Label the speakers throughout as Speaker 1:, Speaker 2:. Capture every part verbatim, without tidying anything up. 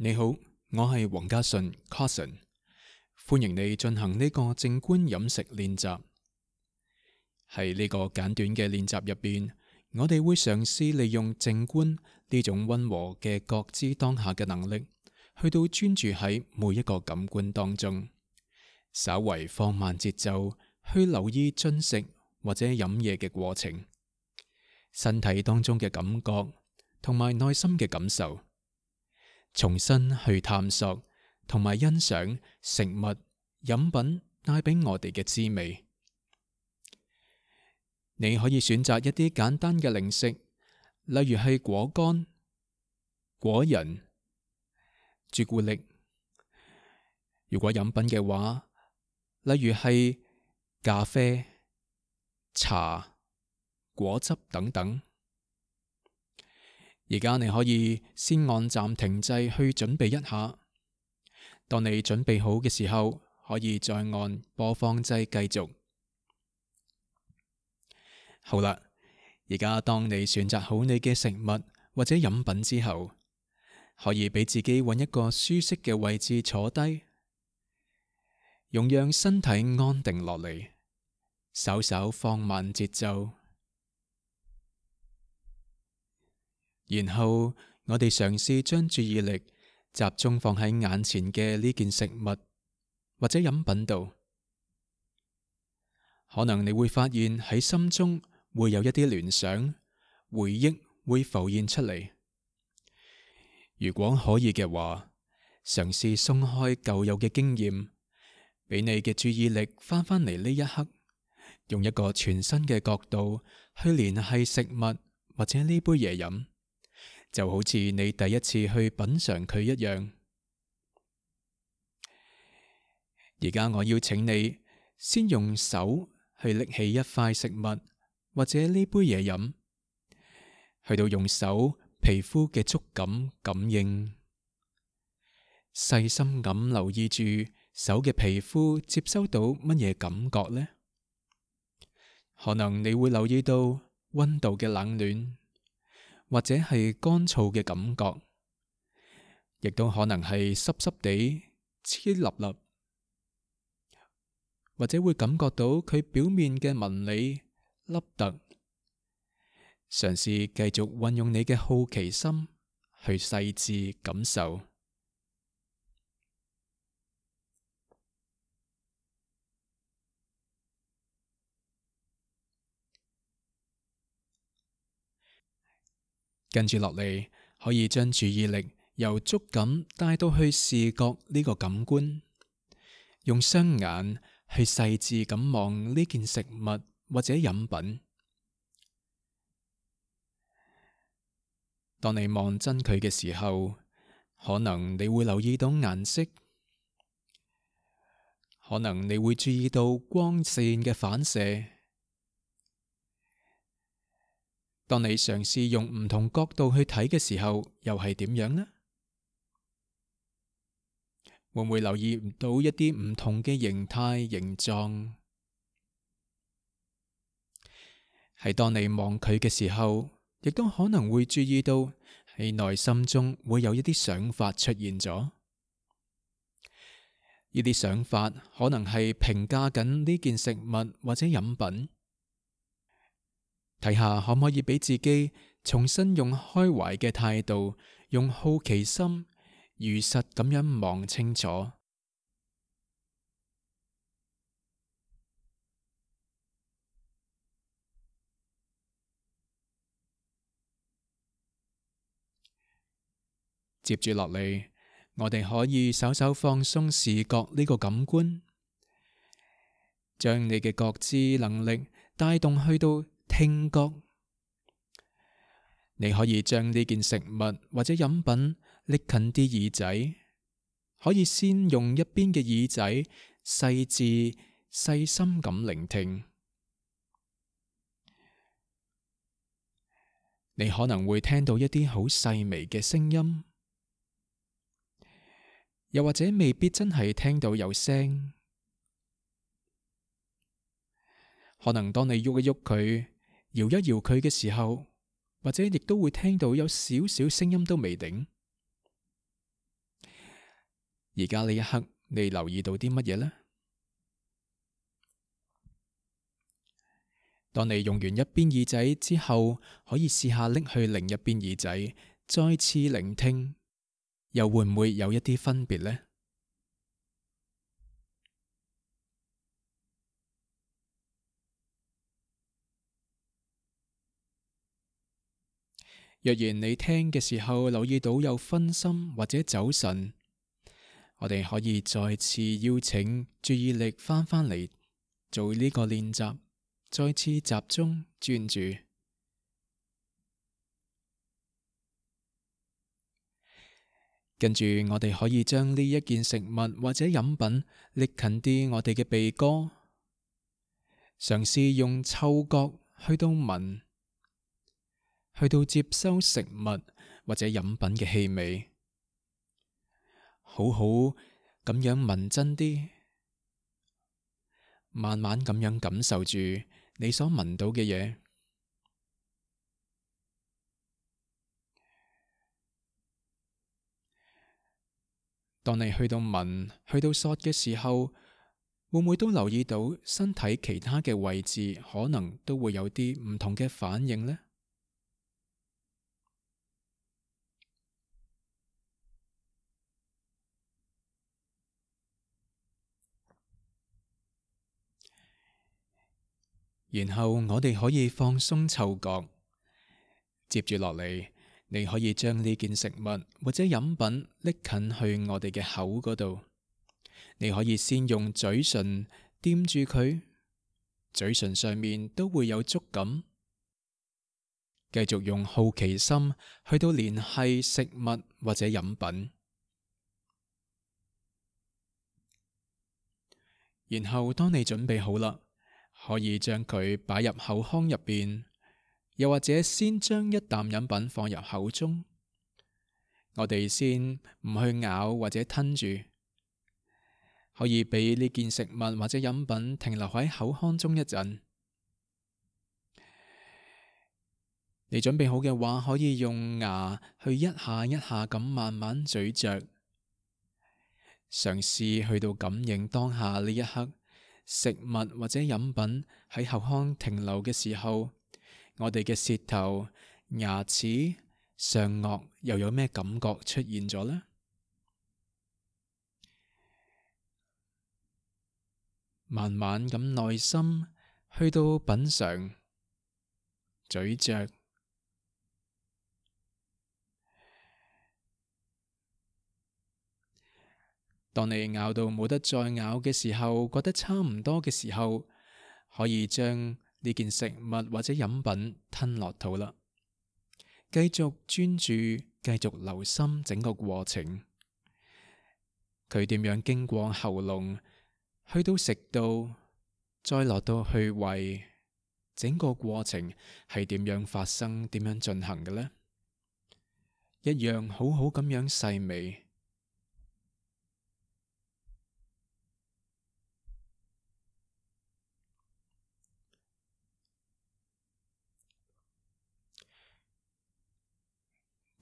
Speaker 1: 你好，我係黃家順 Carson，歡迎你進行呢個靜觀飲食練習。喺呢個簡短嘅練習入邊，我哋會嘗試利用靜觀呢種溫和嘅覺知當下嘅能力，去到專注喺每一個感官當中，稍為放慢節奏，去留意進食或者飲嘢嘅過程，身體當中嘅感覺同埋內心嘅感受。重新去探索同埋欣賞食物、飲品帶俾我哋嘅滋味。你可以選擇一啲簡單嘅零食，例如係果乾、果仁、朱古力。如果飲品嘅話，例如係咖啡、茶、果汁等等。而家你可以先按暫停掣去準備一下，當你準備好嘅時候，可以再按播放掣繼續。好啦，而家當你選擇好你嘅食物或者飲品之後，可以俾自己揾一個舒適嘅位置坐低，容讓身體安定落嚟，稍稍放慢節奏。然後我哋嘗試將注意力集中放喺眼前嘅呢件食物或者飲品度，可能你會發現喺心中會有一啲聯想、回憶會浮現出嚟。如果可以嘅話，嘗試鬆開舊有嘅經驗，俾你嘅注意力翻返嚟呢一刻，用一個全新嘅角度去聯繫食物或者呢杯嘢飲。就好似你第一次去品嘗佢一樣。而家我邀請你先用手去拎起一塊食物或者呢杯嘢飲，去到用手皮膚嘅觸感感應，細心咁留意住手嘅皮膚接收到乜嘢感覺呢？可能你會留意到溫度嘅冷暖，或者係乾燥嘅感覺，亦都可能係濕濕地、黐立立，或者會感覺到佢表面嘅紋理、凹凸。嘗試繼續運用你嘅好奇心去細緻感受。跟住落嚟，可以將注意力由觸感帶到去視覺呢個感官，用雙眼去細緻咁望呢件食物或者飲品。當你望真佢嘅時候，可能你會留意到顏色，可能你會注意到光線嘅反射。當你嘗試用唔同角度去睇嘅時候，又係點樣呢？會唔會留意到一啲唔同嘅形態、形狀？喺當你望佢嘅時候，亦都可能會注意到喺內心中會有一啲想法出現咗。呢啲想法可能係評價緊呢件食物或者飲品。睇下可唔可以俾自己重新用開懷嘅態度，用好奇心如實咁樣望清楚。接住落嚟，我哋可以稍稍放鬆視覺呢個感官，將你嘅覺知能力帶動去到聽覺。你可以將呢件食物或者飲品拎近啲耳仔，可以先用一邊嘅耳仔細緻細心咁聆聽。你可能會聽到一啲好細微嘅聲音，又或者未必真係聽到有聲。可能當你喐一喐佢，搖一搖佢嘅時候，或者亦都會聽到有少少聲音都未定。而家呢一刻，你留意到啲乜嘢呢？當你用完一邊耳仔之後，可以試下拎去另一邊耳仔，再次聆聽，又會唔會有一啲分別呢？若然你聽嘅時候留意到有分心或者走神，我哋可以再次邀請注意力翻返嚟做呢個練習，再次集中專注。跟住我哋可以將呢一件食物或者飲品拎近啲我哋嘅鼻哥，嘗試用嗅覺去到聞，去到接收食物或者飲品嘅氣味，好好咁樣聞真啲，慢慢咁樣感受住你所聞到嘅嘢。當你去到聞、去到嗦嘅時候，會唔會都留意到身體其他嘅位置可能都會有啲唔同嘅反應呢？然後我哋可以放鬆嗅覺，接住落嚟，你可以將呢件食物或者飲品拎近去我哋嘅口嗰度。你可以先用嘴唇掂住佢，嘴唇上面都會有觸感。繼續用好奇心去到聯繫食物或者飲品，然後當你準備好啦，可以將佢擺入口腔入邊，又或者先將一啖飲品放入口中。我哋先唔去咬或者吞住，可以俾呢件食物或者飲品停留喺口腔中一陣。你準備好嘅話，可以用牙去一下一下咁慢慢咀嚼，嘗試去到感應當下呢一刻食物或者飲品喺口腔停留嘅時候，我哋嘅舌頭、牙齒、上顎又有咩感覺出現咗呢？慢慢咁耐心去到品嘗、咀嚼。當你咬到冇得再咬嘅時候，覺得差唔多嘅時候，可以將呢件食物或者飲品吞落肚啦。繼續專注，繼續留心整個過程，佢點樣經過喉嚨，去到食道，再落到去胃，整個過程係點樣發生，點樣進行嘅呢？一樣好好咁樣細味。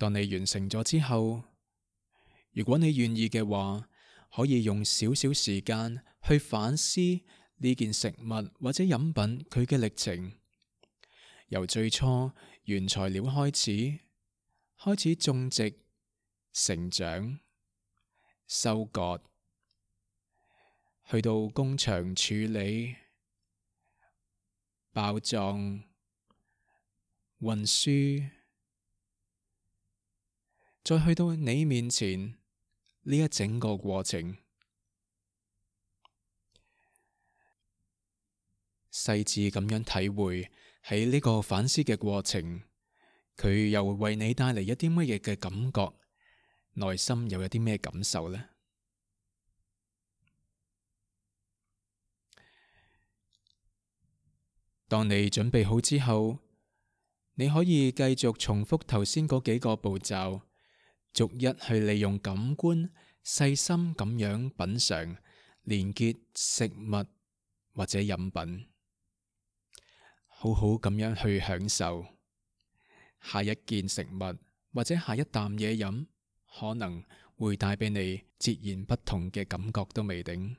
Speaker 1: 當你完成咗之後，如果你願意嘅話，可以用少少時間去反思呢件食物或者飲品佢嘅歷程，由最初原材料開始，開始種植、成長、收割，去到工場處理、包裝、運輸，再去到你面前呢一整個過程，細緻咁樣體會喺呢個反思嘅過程，佢又會為你帶嚟一啲乜嘢嘅感覺，內心又有啲咩感受呢？當你準備好之後，你可以繼續重複頭先嗰幾個步驟，逐一去利用感官細心咁樣品嘗、連結食物或者飲品，好好咁樣去享受下一件食物或者下一啖嘢飲，可能會帶俾你截然不同嘅感覺都未定。